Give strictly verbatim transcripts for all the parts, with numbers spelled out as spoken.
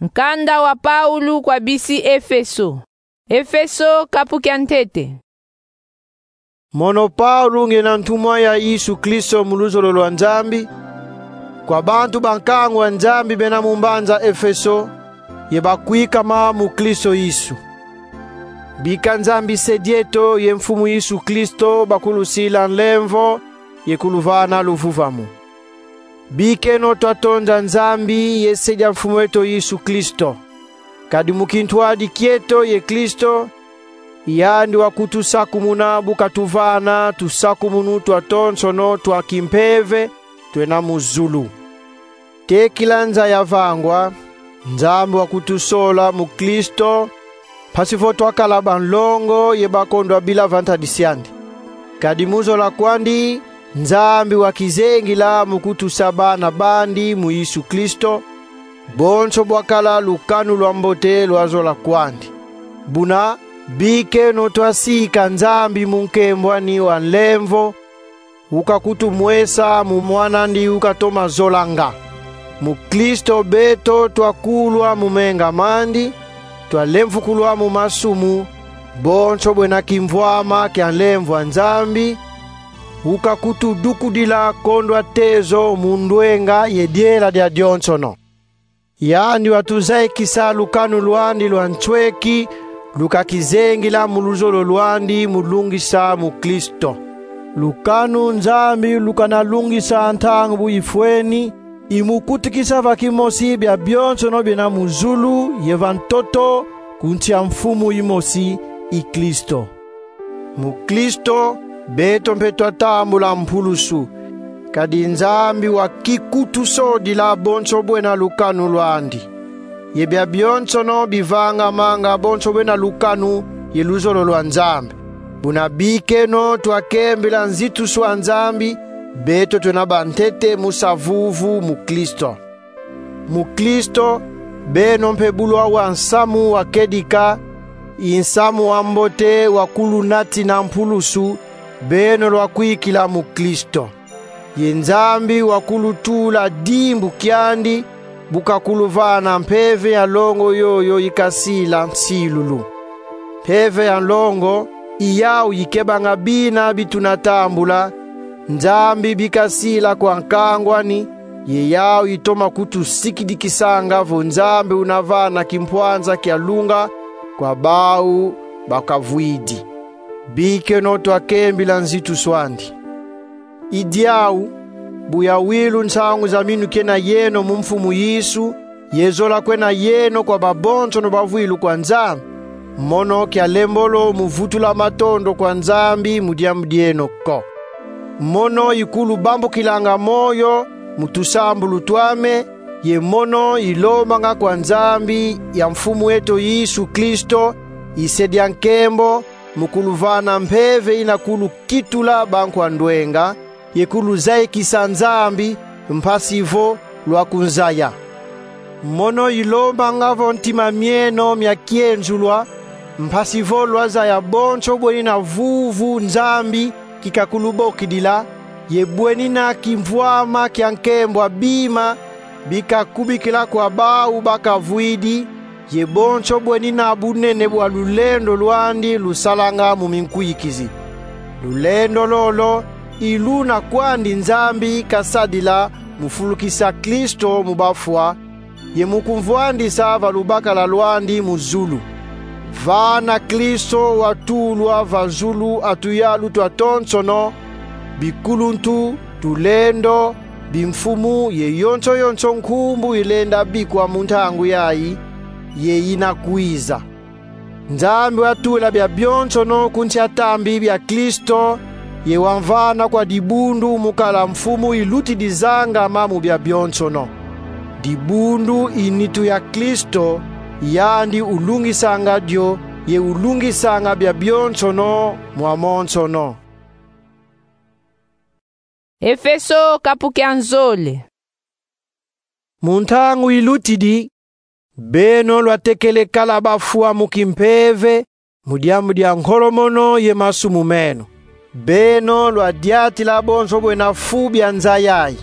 Nkanda wa Paulo kwa bisi Efeso. Efeso, kapu kia ntete. Mono Paulo, ngiena ntumwa ya Yesu Kristo mu luzolo lwa Nzambi, kwa bantu ba nkangu wa Nzambi bena mu mbanza Efeso, ye bakwikama mu Kristo Yesu. Bika Nzambi Se dieto ye Mfumu Yesu Kristo bakulusila nlemvo ye kuluvana luvuvamu. Bikeno twatonda Nzambi ye Se dia Mfumu eto Yesu Kristo. Kadi mu kintwadi kieto ye Kristo, yandi wakutusakumuna bu katuvana tusakumunu twatonsono twa kimpeve twena mu zulu. Tekila nza ya vangwa, Nzambi wakutusola mu Kristo, mpasi vo twakala banlongo ye bakondwa bila va ntadisi andi. Kadi mu zola kwandi, Nzambi wakizengila mu kutusa bana bandi mu Yesu Kristo, bonso bwakala lukanu lwa mbote lwa zola kwandi. Buna, bikeno twasika Nzambi mu nkembo ani wa nlemvo, ukakutumwesa mu Mwana andi ukatoma zolanga. Mu Kristo beto twakulwa mu menga mandi, twalemvukulwa mu masumu, bonso bwena kimvwama kia nlemvo a Nzambi, ukakutudukudila kondwa tezo mu ndwenga ye diela dia dionsono. Yandi watuzayikisa lukanu lwandi lwa nsweki, lukakizengila mu luzolo lwandi mu lungisa mu Kristo. Lukanu Nzambi lukana lungisa ntangu bu ifweni, i mu kutikisa va kimosi bia bionsono biena mu zulu ye va ntoto, ku nsi a Mfumu imosi, i Kristo. Mu Kristo, beto mpe twatambula mpulusu, kadi Nzambi wakikutusodila bonso bwena lukanu lwandi. Ye bia bionsono bivangamanga bonso bwena lukanu ye luzolo lwa Nzambi. Buna bikeno twakembila nzitusu a Nzambi, beto twena bantete mu sa vuvu mu Kristo. Mu Kristo, beno mpe bu lwawanga nsamu wa kedika, i nsamu wa mbote wakulunatina mpulusu, beno lwakwikila mu Kristo. Ye Nzambi wakulutula dimbu kiandi, bu kakuluvana mpeve ya nlongo yoyo ikasila nsilulu. Mpeve ya nlongo, i yau ikebanga bina bi tuna tambula, Nzambi bi kasila kwa nkangu ani, ye yau itoma kutusikidikisanga vo Nzambi una vana kimpwanza kia lunga kwa bau bakavwidi. Bikeno twakembila nzitusu andi. I diau, bu yawilu nsangu zami nukena yeno mu Mfumu Yesu, ye zola kwena yeno kwa babonsono bavwilu kwa Nzambi, mono kia lembolo mu vutula matondo kwa Nzambi mu diambu dieno ko. Mono ikulubambukilanga moyo mu tusambulu twame, ye mono ilombanga kwa Nzambi ya Mfumu eto Yesu Kristo, i Se dia nkembo, mu kuluvana mpeve ina kulukitula bankwa ndwenga, ye kuluzayikisa Nzambi, mpasi vo lwakunzaya. Mono ilombanga vo ntima mieno mia kienzulwa, mpasi vo lwazaya bonso bwenina vuvu Nzambi kikakulubokidila, ye bwenina kimvwama kia nkembo a bima bi kakubikila kwa bau bakavwidi, ye bonso bwenina bunene bwa lulendo lwandi lusalanga mu minkwikizi. Lulendo lolo i luna kwandi Nzambi kasadila mu fulukisa Kristo mu bafwa, ye mu kumvwandisa va lubakala lwandi mu zulu. Vana Kristo watulwa va zulu a tuyalu twatonsono, bikuluntu, tulendo, bimfumu ye yonso yonso nkumbu ilenda bikwa mu ntangu yayi ye ina kwiza. Nzambi watula bia bionsono ku nsi a tambi bia Kristo, ye wamvana kwa dibundu mu kala mfumu ilutidi zangama mu bia bionsono. Dibundu i nitu ya Kristo, yandi ulungisanga dio, ye ulungisanga bia bionsono mwamonsono. Efeso, kapu kia nzole. Mu ntangu ilutidi, beno lwatekele kala bafwa mu kimpeve, mu diambu dia nkolomono ye masumu meno. Beno lwadiatila bonso bwena fu bia nza yayi.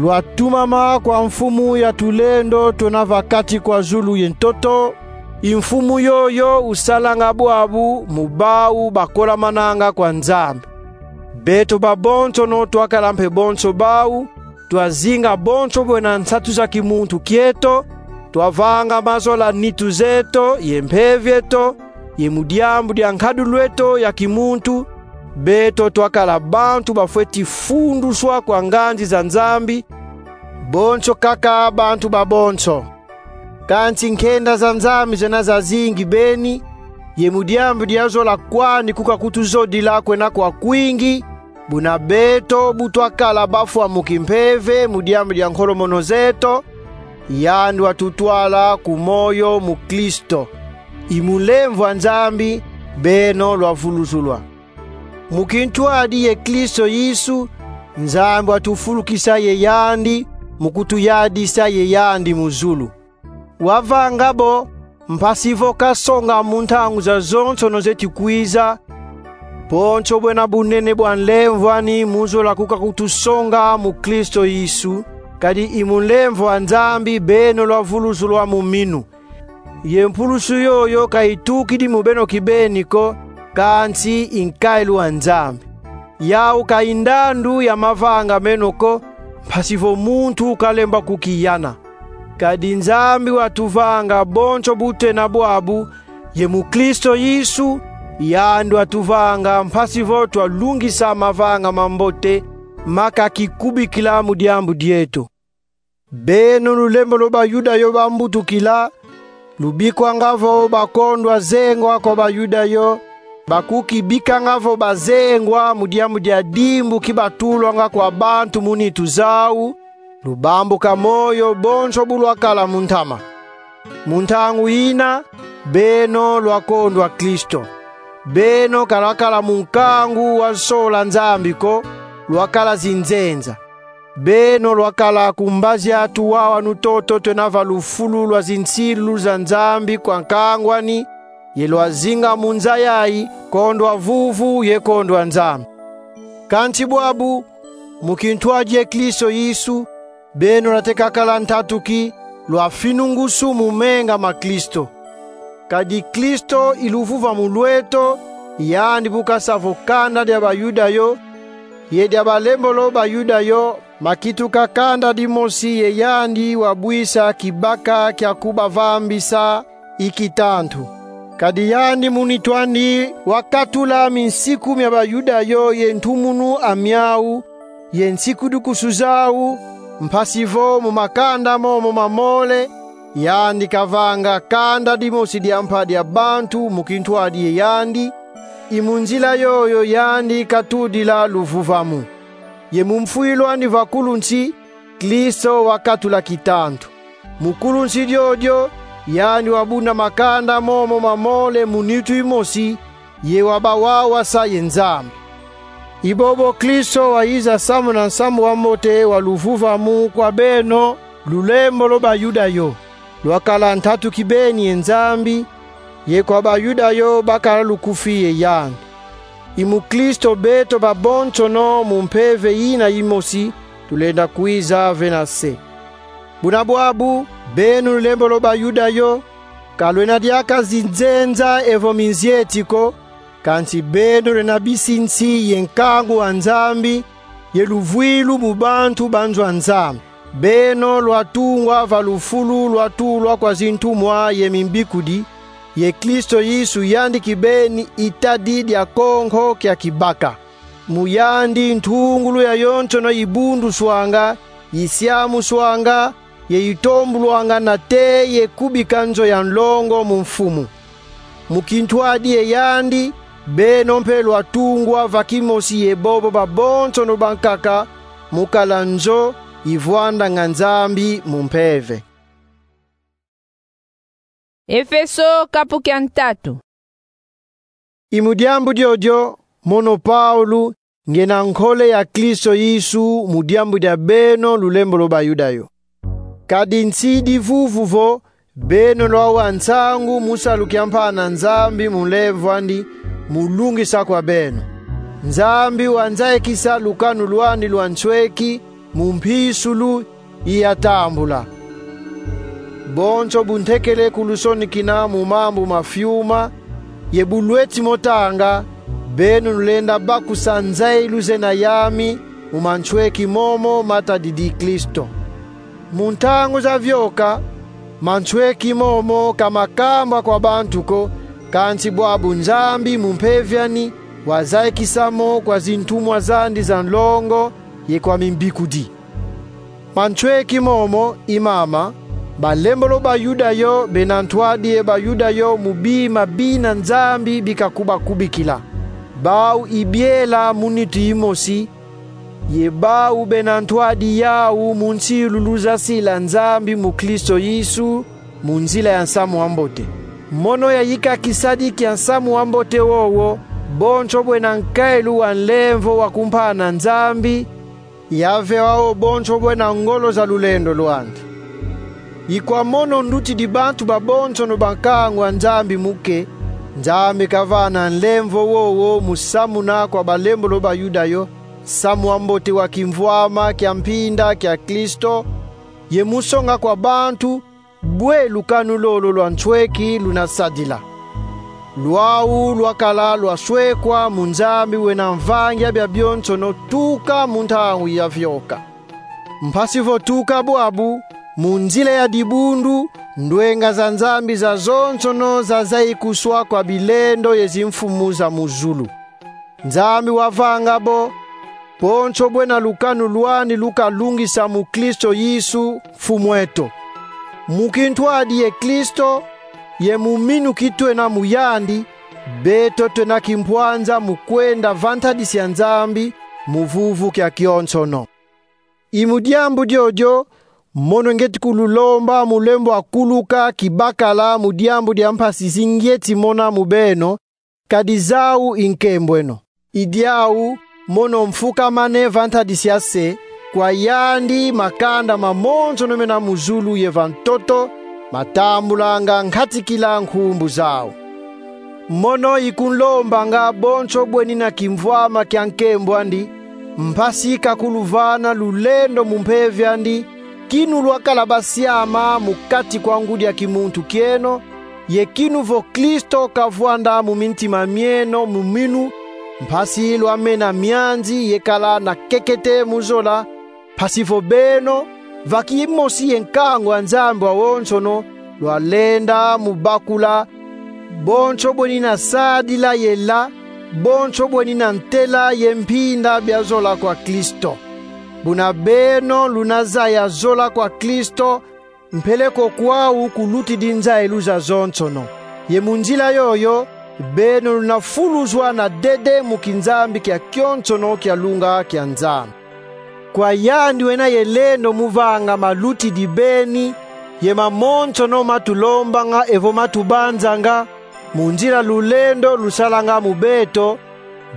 lwatumama kwa Mfumu ya tulendo twena va kati kwa zulu ye ntoto, i Mfumu yoyo usalanga bwabu mu bau bakolamananga kwa Nzambi. Beto babonsono twakala mpe bonso bau, twazinga bonso bwena nsatu za kimuntu kieto, twavanga mazola nitu zeto ye mpeve eto, ye mu diambu dia nkadulu eto ya kimuntu, beto twakala bantu bafweti funduswa kwa nganzi za Nzambi, bonso kaka bantu babonso. Kansi nkenda za Nzambi zena zazingi beni, ye mu diambu dia zola kwandi kuka kutuzodila kwena kwa kwingi, buna beto bu twakala bafwa mu kimpeve mu diambu dia nkolomono zeto, yandi watutwala ku moyo mu Kristo. I mu nlemvo a Nzambi beno lwavuluzulwa. Mu kintwadi ye Kristo Yesu, Nzambi watufulukisa ye yandi, mu kutuyadisa ye yandi mu zulu. Wavanga bo, mpasi vo kasonga mu ntangu zazonsono zeti kwiza, bonso bwena bunene bwa nlemvo ani mu zola kuka kutusonga mu Kristo Yesu, kadi i mu nlemvo a Nzambi beno lwavuluzulwa mu minu. Ye mpulusu yoyo ka itukidi mu beno kibeni ko, kansi i nkailu a Nzambi. Yau ka i ndandu ya mavanga meno ko, mpasi vo muntu kalemba kukiyana. Kadi Nzambi watuvanga bonso bu twena bwabu, ye mu Kristo Yesu, yandi watuvanga mpasi vo twalungisa mavanga mambote ma kakikubikila mu diambu dieto. Beno lulembolo Bayuda yo bambutukila, lubikwanga vo bakondwa zengwa kwa Bayuda yo, bakukibikanga vo bazengwa mu diambu dia dimbu ki batulwanga kwa bantu mu nitu zau, lubambuka moyo bonso bu lwakala mu ntama. Mu ntangu ina, beno lwakondwa Kristo. Beno ka lwakala mu nkangu wa nsola Nzambi ko, lwakala zinzenza. Beno lwakala ku mbazi a tuwawanu toto twena va lufulu lwa zinsilu za Nzambi kwa nkangu ani, ye lwazinga mu nza yayi, kondwa vuvu ye kondwa Nzambi. Kansi bwabu, mu kintwadi ye Kristo Yesu, beno lwate kakala ntatu ki, lwafinungusu mu menga ma Kristo. Kadi Kristo i luvuvamu lweto, yandi bu kasa vo kanda dia Bayuda yo, ye dia balembolo Bayuda yo, makituka kanda dimosi ye yandi wabwisa kibaka kia kubavambisa i kitantu. Kadi yandi mu nitu andi wakatula minsiku mia Bayuda yo ye ntumunu a miau, ye nsiku dukusu zau, mpasi vo mu makanda momo mamole, yandi kavanga kanda dimosi dia mpa dia bantu mu kintwadi ye yandi, i mu nzila yoyo yandi katudila luvuvamu. Ye mu mfwilu andi va kulunsi, Kristo wakatula kitantu. Mu kulunsi diodio, yandi wabunda makanda momo mamole mu nitu imosi, ye wabawawasa ye Nzambi. I bobo Kristo wayiza samuna nsamu wa mbote wa luvuvamu kwa beno, lulembolo Bayuda yo. Lwakala ntatu kibeni ye Nzambi, ye kwa Bayuda yo bakala lukufi ye yandi. I mu Kristo beto babonsono mu mpeve yina yimosi tulenda kwiza vena se. Buna bwabu, beno lulembolo Bayuda yo, ka lwena diaka zinzenza evo minzieti ko, kansi beno lwena bisinsi ye nkangu a Nzambi, ye luvwilu mu bantu ba nzo a Nzambi. Beno lwatungwa va lufulu lwatulwa kwa zintumwa ye mimbikudi, ye Kristo Yesu yandi kibeni i tadi dia konko kia kibaka. Mu yandi ntungulu yayonsono ibunduswanga, isiamuswanga, ye itombulwanga nate ye kubika nzo ya nlongo mu Mfumu. Mu kintwadi ye yandi, beno mpe lwatungwa va kimosi ye bobo babonsono bankaka, mu kala nzo ivwandanga Nzambi mu mpeve. Efeso kapu kia ntatu. I mu diambu diodio, mono Paulo, ngena nkole ya Kristo Yesu mu diambu dia beno lulembolo Bayuda yo. Kadi nsidi vuvu vo, beno lwawa nsangu mu salu kia mpana Nzambi mu nlemvo andi, mu lungisa kwa beno. Nzambi wanzayikisa lukanu lwandi lwa nsweki, mu mpisulu iyatambula. Bonso bu ntekele kulusonikina mu mambu ma fiuma, ye bu lweti mo tanga, beno lulenda bakusa nzayilu zena yami mu mansweki momo matadidi Kristo. Mu ntangu zavioka, mansweki momo ka makambwa kwa bantu ko, kansi bwabu Nzambi mu Mpeve andi wazayikisa mo kwa zintumwa zandi za nlongo ye kwa mimbikudi. Mansweki momo i mama: balembolo ba Yuda yo, bena ntwadi ye Bayuda yo, mu bima bina Nzambi bika kubakubikila. Bau i biela mu nitu imosi, ye bau bena ntwadi yau mu nsilulu za sila Nzambi mu Kristo Yesu, mu nzila ya nsamu wa mbote. Mono yayika kisadi kia nsamu wa mbote wowo, bonso bwena nkayilu wa nlemvo wa kumpana Nzambi, yaveva wo bonso bwena ngolo za lulendo lwandi. I kwa mono ndutidi bantu babonsono ba nkangu a Nzambi muke, Nzambi kavana nlemvo wowo mu samuna kwa balembolo ba Yuda yo nsamu wa mbote wa kimvwama kia mpinda kia Kristo, ye mu songa kwa bantu bwe lukanu lolo lwa nsweki luna sadila. Lwau lwakala lwaswekwa mu Nzambi wena Mvangi a biabionsono tuka mu ntangu yavioka. Mpasi vo tuka bwabu, mu nzila ya dibundu, ndwenga za Nzambi zazonsono zazayikuswa kwa bilendo ye zimfumu za mu zulu. Nzambi wavanga bo bonso bwena lukanu lwandi lukalungisa mu Kristo Yesu, Mfumu'eto. Mu kintwadi ye Kristo, ye mu minu ki twena mu yandi, beto twena kimpwanza mu kwenda va ntadisi ya Nzambi, mu vuvu kia kionsono. I mu diambu diodio mono ngieti kululomba mu lembo a kuluka kibakala mu diambu dia mpasi zi ngieti mona mu beno, kadi zau i nkembweno. I diau mono mfukamane va ntadisi ya se, kwa yandi makanda mamonsono mena mu zulu ye va ntoto matambulanga nkatikila nkumbu zau. Mono i kunlombanga bonso bwenina kimvwama kia nkembo andi, mpasi kakuluvana lulendo mu Mpeve andi, kinu lwakala basiama mu kati kwa ngudi a kimuntu kieno, ye kinu vo Kristo kavwanda mu mintima mieno mu minu, mpasi lwamena mianzi ye kala na kekete mu zola, mpasi vo beno, va kimosi ye nkangu a Nzambi wawonsono, lwalenda mu bakula bonso bwenina sadila ye la bonso bwenina ntela ye mpinda bia zola kwa Kristo. Buna beno luna zaya zola kwa Kristo, mpeleko kwau kulutidi nzayilu zazonsono. Ye mu nzila yoyo, beno luna fuluzwa na dede mu kinzambi kia kionsono kia lunga kia Nzambi. Kwa yandi wena ye lendo mu vanga malutidi beni, ye mamonsono matulombanga evo matubanzanga, mu nzila lulendo lusalanga mu beto,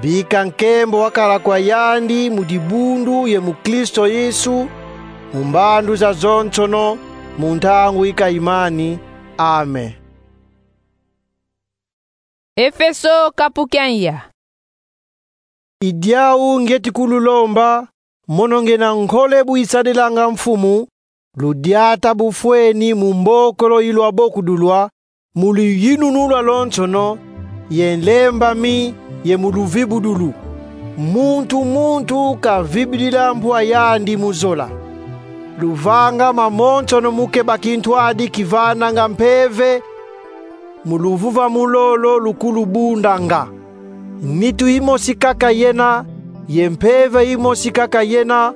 bika nkembo wakala kwa yandi mu dibundu ye mu Kristo Yesu, mu mbandu zazonsono, mu ntangu ikayimani. Amen. Efeso kapu kia ya. I diau ngieti kululomba, mono ngiena nkole bu isadilanga Mfumu, ludiata bufweni mu mbokolo ilwabokudulwa, mu luyinunu lwalonsono, ye nlembami, ye mu luvibudulu. Muntu muntu kavibidila mpwa yandi mu zola. Luvanga mamonsono mu keba kintwadi kivananga mpeve, mu luvuvamu lolo lukulubundanga. Nitu imosi kaka yena, ye mpeve imosi kaka yena,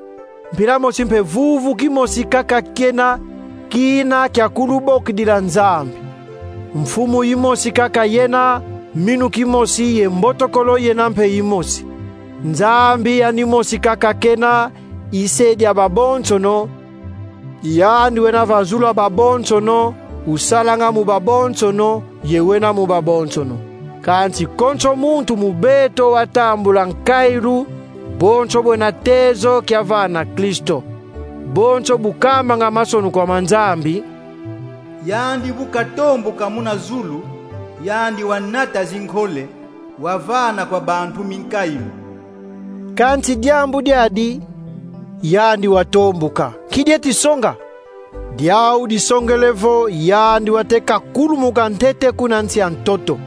mpila mosi mpe vuvu kimosi kaka kiena, kina kia kulubokidila Nzambi. Mfumu imosi kaka yena, minu kimosi ye mbotokolo yena mpe imosi. Nzambi yandi mosi kaka kena, i se dia babonsono, yandi wena va zulu a babonsono, usalanga mu babonsono, ye wena mu babonsono. Kansi konso muntu mu beto watambula nkayilu, bonso bwena tezo kiavana Kristo. Bonso bu kambanga masonu kwa ma Nzambi: Yandi bu katomboka muna zulu, yandi wanata zinkole, wavana kwa bantu minkayilu. Kansi diambu diadi, yandi watombuka. Nki dieti songa? Diau disongele vo yandi wateka kulumuka ntete kuna nsi ya ntoto.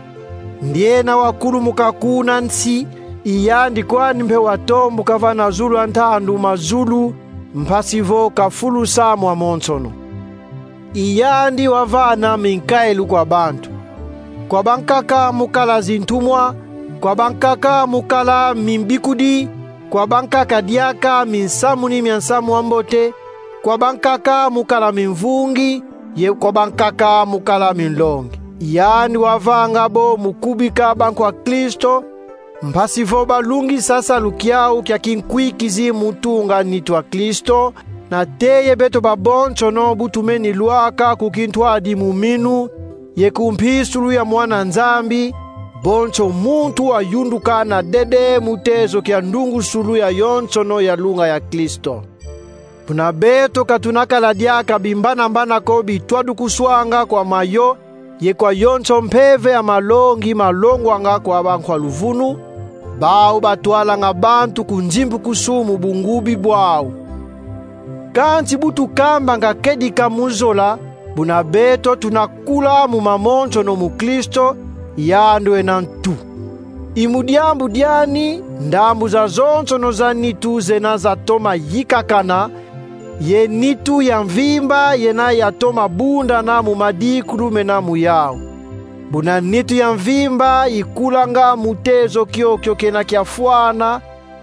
Ndiena wakulumuka kuna nsi, i yandi kwandi mpe watombuka vana zulu a ntandu ma zulu, mpasi vo kafulusa mwamonsono. I yandi wavana minkailu kwa bantu. Kwa bankaka mu kala zintumwa, kwa bankaka mu kala mimbikudi, kwa bankaka diaka minsamuni mia nsamu wa mbote, kwa bankaka mu kala mimvungi, ye kwa bankaka mu kala minlongi. Yandi wavanga bo mu kubika bankwa Kristo, mpasi vo balungisa salu kiau kia kinkwikizi mu tunga nitu a Kristo, na teye beto babonsono bu tumeni lwaka ku kintwadi mu minu, ye ku mpisulu ya Mwana Nzambi, bonso muntu wayunduka na dede mu tezo kia ndungusulu ya yonsono ya lunga ya Kristo. Buna beto ka tunakala diaka bimbanambana ko bitwadukuswanga kwa mayo, ye kwa yonso mpeve ya malongi malongwanga kwa bankwa luvunu, bau batwalanga bantu ku nzimbukusu mu bungubi bwau. Kansi bu tukambanga kedika mu zola, buna beto tunakula mu mamonsono mu Kristo, yandi wena ntu. I mu diambu diani, ndambu zazonsono za nitu zena zatoma yikakana, ye nitu ya mvimba yena yatoma bundana mu madikulu mena mu yau. Buna nitu ya mvimba ikulanga mu tezo kiokio kena kiafwana,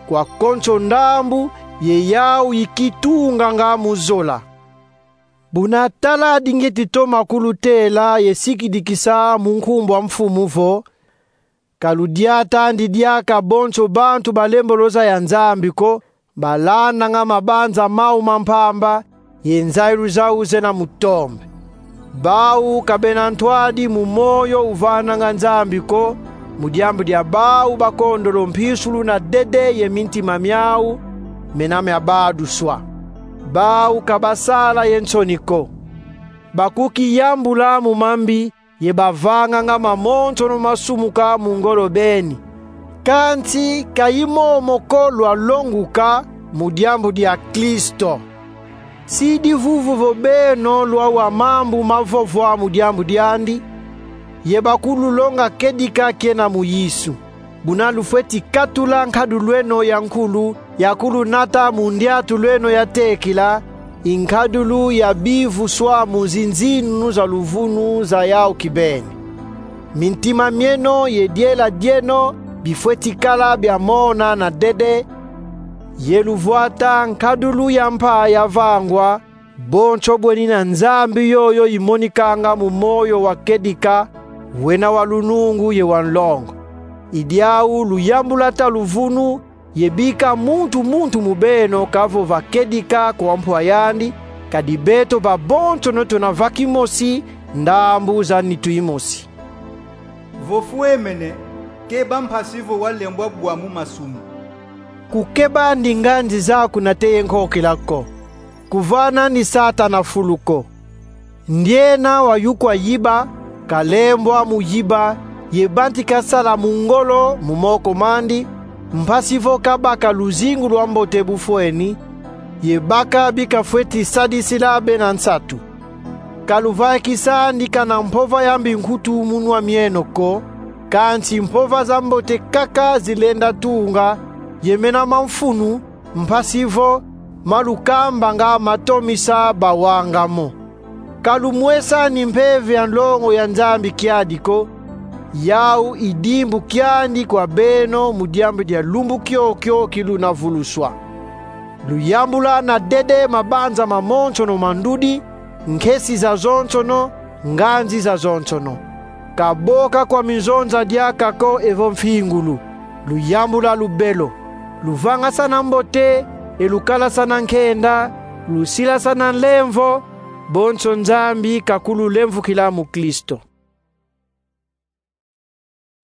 kwa konso ndambu, ye yau ikitunganga mu zola. Buna tala di ngieti toma kulutela ye sikidikisa mu nkumbu a Mfumu vo: ka ludiatandi diaka bonso bantu ba lemboloza ya Nzambi ko, balandanga mabanza mau ma mpamba, ye nzayilu zau zena mutombe. Bau ka bena ntwadi mu moyo uvananga Nzambi ko, mu diambu dia bau bakondolo mpisulu na dede ye mintima miau mena miabaduswa. Bau ka basala ye nsoni ko. Bakukiyambula mu mambi, ye bavanganga mamonsono masumuka mu ngolo beni. Kansi ka i momo ko lwalonguka mu diambu dia Kristo. Si divuvu vo beno lwau a mambu mavovwa mu diambu diandi, ye bakululonga kedika kena mu Yesu. Buna lufweti katula nkadulu eno ya nkulu, ya kulunata mu ndiatulu eno ya tekila, i nkadulu ya bivuswa mu zinzinunu za luvunu za yau kibeni. Mintima mieno ye diela dieno bifweti kala bia mona na dede, ye luvwata nkadulu ya mpa yavangwa, bonso bweni na Nzambi yoyo imonikanga mu moyo wa kedika, wena wa lunungu ye wa nlongo. I diau luyambula ta luvunu, ye bika muntu muntu mu beno kavova kedika kwa mpwa yandi, kadi beto babonsono tuna va kimosi ndambu za nitu imosi. Vo fwemene, keba mpasi vo walembwa bwa mu masumu. Kukeba ndi nganzi zaku na teye nkokila ko. Kuvana ni Satana fulu ko. Ndiena wayukwa yiba, kalembwa mu yiba, ye bantika sala mu ngolo mu moko mandi, mpasi vo kabaka luzingu lwa mbote bu fweni, ye baka bi kafweti sadisila bena nsatu. Ka luvaikisandi kana mpova ya mbinkutu mu nwa mieno ko, kansi mpova za mbote kaka zilenda tunga, ye mena ma mfunu, mpasi vo ma lukambanga matomisa bawanga mo. Ka lumwesani mpeve ya nlongo ya Nzambi kiadi ko, yau i dimbu kiandi kwa beno mu diambu dia lumbu kiokio ki luna vuluswa. Luyambula na dede mabanza mamonsono ma ndudi, nkesi zazonsono, nganzi zazonsono. Ka boka kwa minzonza diaka ko evo mfingulu. Luyambula lubelo. Luvangasana mbote, e lukalasana nkenda, lusilasana nlemvo, bonso Nzambi kakululemvukila mu Kristo.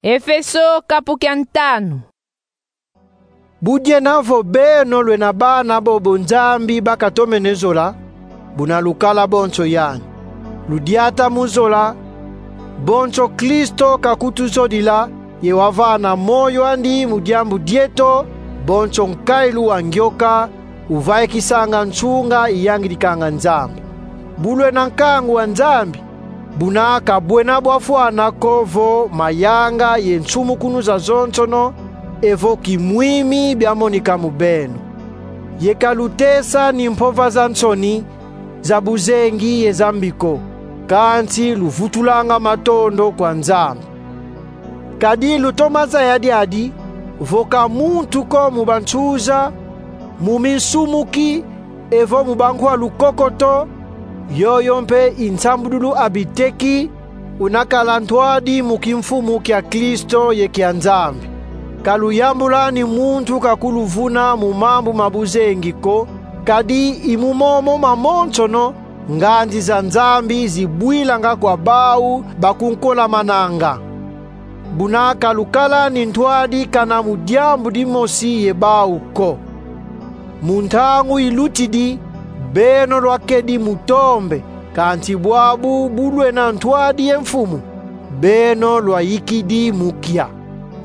Efeso kapu kia ntanu. Bu diena vo beno lwena bana bobo Nzambi bakatomene zola, buna lukala bonso yani. Ludiata mu zola, bonso Kristo kakutuzodila, ye wavana moyo andi mu diambu dieto, bonso nkailu wa ngioka, uvaikisanga nsunga iyangidikanga Nzambi. Bu lwena nkangu wa Nzambi, buna ka bwena bwafwana ko vo mayanga ye nsumukunu zazonsono evo kimwimi biamonika mu beno. Ye ka lutesa ni mpova za nsoni, za buzengi ye za mbi ko, kansi luvutulanga matondo kwa Nzambi. Kadi lutoma zaya diadi, vo ka muntu ko mu bansuza, mu minsumuki, evo mu bankwa lukokoto, yoyo mpe i nsambudulu abiteki, una kala ntwadi mu kimfumu kia Kristo ye kia Nzambi. Ka luyambula ni muntu kakuluvuna mu mambu ma buzengi ko, kadi i mu momo mamonsono, nganzi za Nzambi zibwilanga kwa bau bakunkolamananga. Buna ka lukala ni ntwadi kana mu diambu dimosi ye bau ko. Mu ntangu ilutidi, beno lwakedi mu tombe, kansi bwabu bu lwena ntwadi ye mfumu, beno lwayikidi mu kia.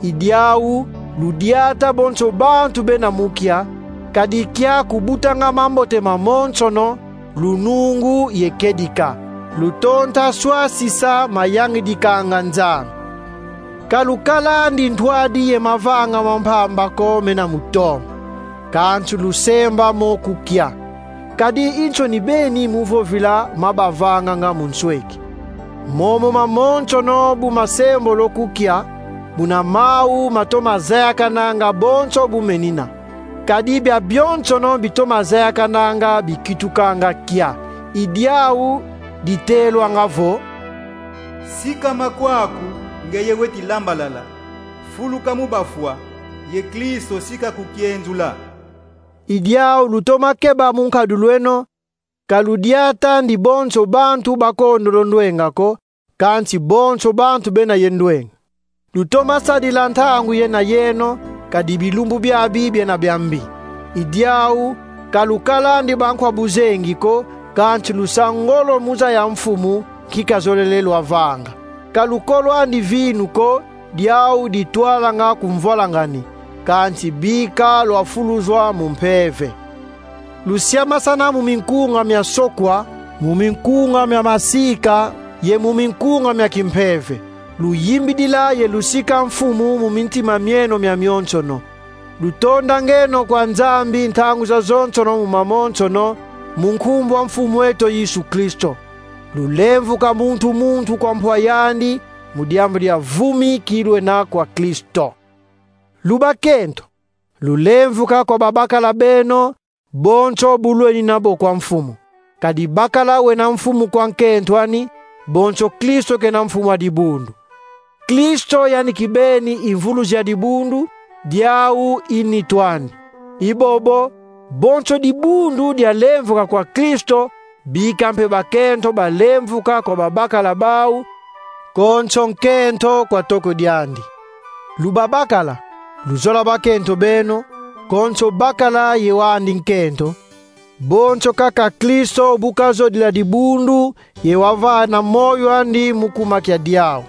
I diau ludiata bonso bantu bena mu kia, kadi kia kubutanga mambote mamonsono, lunungu ye kedika, lutonta swasisa mayangidikanga Nzambi. Ka lukalandi ntwadi ye mavanga ma mpamba ko mena mu tombe, kansi lusemba mo ku kia. Kadi i nsoni beni mu vovila ma bavanganga mu nsweki. Momo mamonsono bu masembolo ku kia, buna mau matoma zayakananga bonso bu menina. Kadi biabionsono bitoma zayakananga bikitukanga kia, i diau ditelwanga vo: Sikama kwaku, ngeye weti lambalala, fuluka mu bafwa, ye Kristo si kakukienzula. I diau lutoma keba mu nkadulu eno, ka ludiatandi bonso bantu bakondolo ndwenga ko, kansi bonso bantu bena ye ndwenga. Lutoma sadila ntangu yena yeno, kadi bilumbu biabi biena bia mbi. I diau, ka lukalandi bankwa buzengi ko, kansi lusa ngolo mu zaya mfumu, nki kazolele lwavanga. Ka lukolwandi vinu ko, diau ditwalanga ku mvwalangani, kansi bika lwafuluzwa mu mpeve. Lusiamasana mu minkunga mia sokwa, mu minkunga mia masika, ye mu minkunga mia kimpeve. Luyimbidila ye lusika mfumu mu mintima mieno miamionsono. Lutondangeno kwa Nzambi ntangu zazonsono mu mamonsono, mu nkumbu a Mfumu eto Yesu Kristo. Lulemvuka muntu muntu kwa mpwa yandi, mu diambu dia vumi ki lwena kwa Kristo. Lubakento, lulemvuka kwa babakala beno, bonso bu lwenina bo kwa mfumu. Kadi bakala wena mfumu kwa nkento ani, bonso Kristo kena mfumu a dibundu. Kristo yandi kibeni i mvuluzi a dibundu, diau i nitu andi. I bobo, bonso dibundu dialemvuka kwa Kristo, bika mpe bakento balemvuka kwa babakala bau, konso nkento kwa toko diandi. Lubabakala, luzola bakento beno, konso bakala ye wandi nkento, bonso kaka Kristo bu kazodila dibundu, ye wavana moyo andi mu kuma kia diau.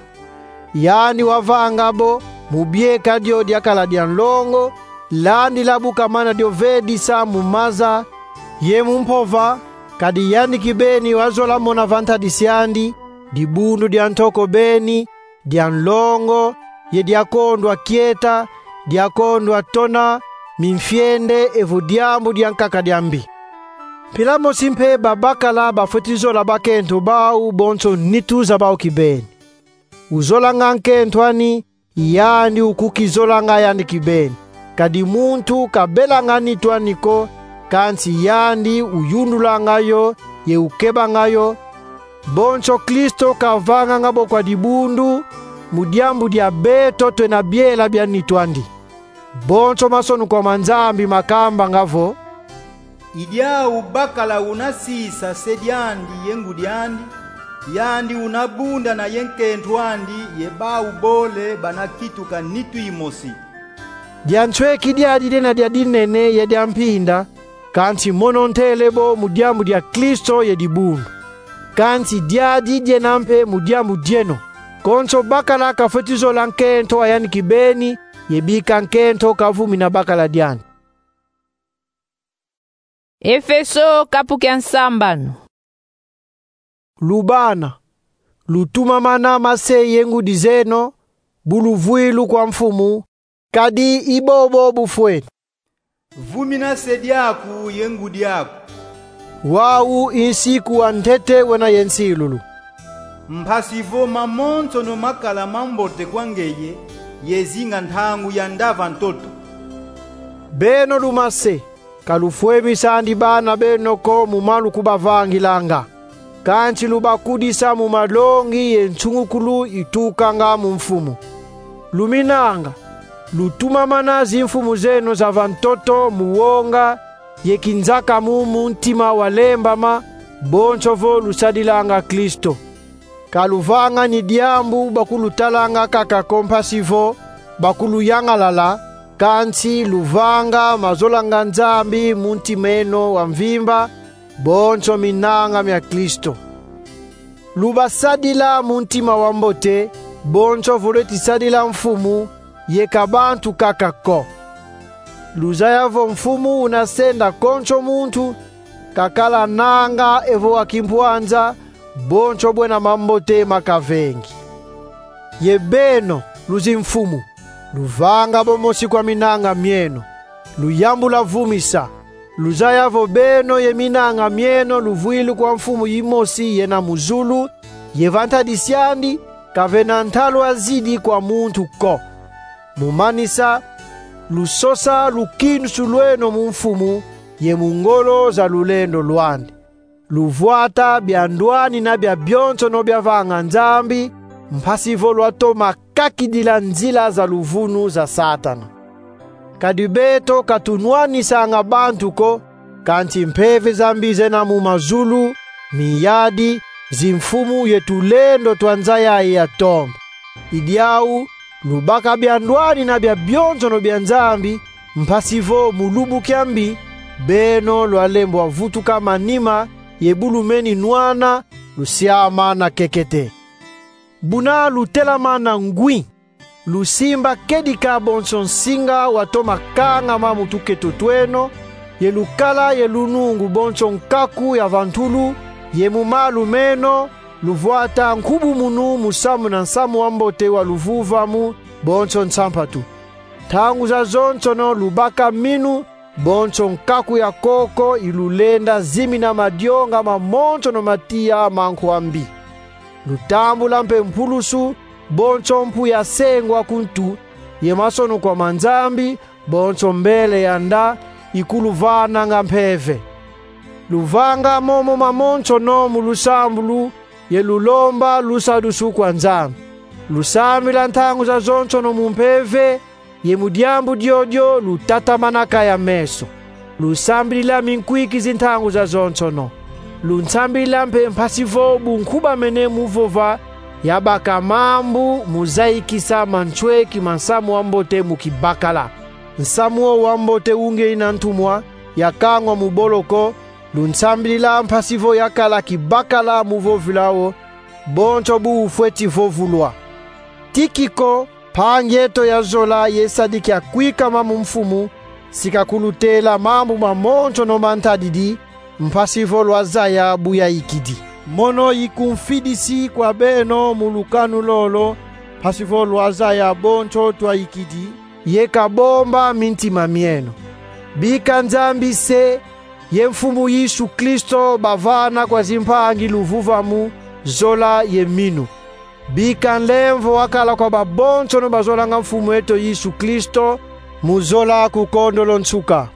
Yandi wavanga bo, mu bieka dio diakala dia nlongo, landila bu kamana dio vedisa mu maza, ye mu mpova, kadi yandi kibeni wazola mona va ntadisi andi, dibundu dia ntoko beni, dia nlongo, ye diakondwa kieta, diakondwa tona, mimfiende evo diambu diankaka dia mbi. Mpila mosi mpe babakala bafweti zola bakento bau bonso nitu za bau kibeni. Uzolanga nkento ani, yandi ukukizolanga yandi kibeni. Kadi muntu kabelanga nitu ani ko, kansi yandi uyundulanga yo, ye ukebanga yo, bonso Kristo kavanganga bo kwa dibundu, mu diambu dia beto twena biela bia nitu andi. Bonso masonukwa ma Nzambi makambanga vo: I diau bakala una sisa se diandi ye ngudi andi, yandi una bundana ye nkento andi ye bau bole bana kituka nitu imosi. Dia nsweki diadi diena dia dinene ye dia mpinda, kansi mono ntele bo mu diambu dia Kristo ye dibundu. Kansi diadi diena mpe mu diambu dieno. Konso bakala kafweti zola nkento a yandi kibeni, ye bika nkento kavumina bakala diandi. Efeso, kapu kia nsambanu. Lubana, lutumamana mase ye ngudi zeno, bu luvwilu kwa Mfumu, kadi i bobo bufweni. Vumina se diaku ye ngudi aku. Wau i nsiku wa ntete wena ye nsilulu. Mpasi vo mamonsono makala mambote kwa ngeye, ye zinga ntangu ya ndava ntoto. Beno lumase, ka lufwemisandi bana beno ko mu ma lukubavangilanga, kansi lubakudisa mu malongi ye nsungukulu itukanga mu Mfumu. Luminanga, lutumamana zimfumu zeno za va ntoto mu wonga ye kinzakamu mu ntima walembama, bonso vo lusadilanga Kristo. Ka luvangani diambu bakulutalanga kaka ko mpasi vo bakuluyangalala, kansi luvanga mazolanga Nzambi mu ntima eno wa mvimba, bonso minanga mia Kristo. Lubasadila mu ntima wa mbote, bonso vo lweti sadila Mfumu, ye ka bantu kaka ko. Luzaya vo Mfumu una senda konso muntu, kakala nanga evo wa kimpwanza, bonso bwena mambote makavengi. Ye beno, luzimfumu, luvanga bo mosi kwa minanga mieno, luyambula vumisa. Luzaya vo beno ye minanga mieno luvwilu kwa Mfumu yimosi yena mu zulu, ye va ntadisi andi, kavena ntalu azidi kwa muntu ko. Mu manisa, lusosa lukindusu lweno mu Mfumu, ye mu ngolo za lulendo lwandi. Luvwata biandwanina bia bionsono biavanga Nzambi, mpasi vo lwatoma kakidila nzila za luvunu za Satana. Kadi beto ka tunwanisanga bantu ko, kansi mpeve za mbi zena mu mazulu, minyadi, zimfumu ye tulendo twa nza yayi ya tombe. I diau, lubaka biandwanina bia bionsono bia Nzambi, mpasi vo mu lumbu kia mbi, beno lwalembwa vutuka manima, ye bu lumeni nwana, lusiamana kekete. Buna lutelamana ngwi, lusimba kedika bonso nsinga watoma kangama mu tuketo tweno, ye lukala ye lunungu bonso nkaku ya va ntulu, ye mu malu meno, luvwata nkubumunu mu samuna nsamu wa mbote wa luvuvamu, bonso nsampatu. Ntangu zazonsono lubaka minu, bonso nkaku ya koko ilulenda zimina madionga mamonsono ma tiya manku a mbi. Lutambula mpe mpulusu, bonso mpu ya sengwa ku ntu, ye masonukwa ma Nzambi, bonso mbele ya nda, ikuluvananga mpeve. Luvanga momo mamonsono mu lusambulu, ye lulomba lusadusu kwa Nzambi. Lusambila ntangu zazonsono mu mpeve, ye mu diambu diodio lutatamanaka ya meso. Lusambilila minkwikizi ntangu zazonsono. Lunsambila mpe mpasi vo bu nkubamene mu vova, yabaka mambu mu zayikisa mansweki ma nsamu wa mbote mu kibakala. Nsamu wo wa mbote ungeye na ntumwa, yakangwa mu boloko, lunsambilila mpasi vo yakala kibakala mu vovila wo, bonso bu ufweti vovulwa. Tikiko, mpangi eto ya zola ye sadi kia kwikama mu Mfumu, si kakulutela mambu mamonsono ma ntadidi, mpasi vo lwazaya bu yayikidi. Mono ikumfidisi kwa beno mu lukanu lolo, mpasi vo lwazaya bonso twayikidi, ye kabomba mintima mieno. Bika Nzambi se, ye Mfumu Yesu Kristo bavana kwa zimpangi luvuvamu, zola ye minu. Bika nlemvo wakala kwa babonsono bazolanga Mfumu eto Yesu Kristo, mu zola ku kondolo nsuka.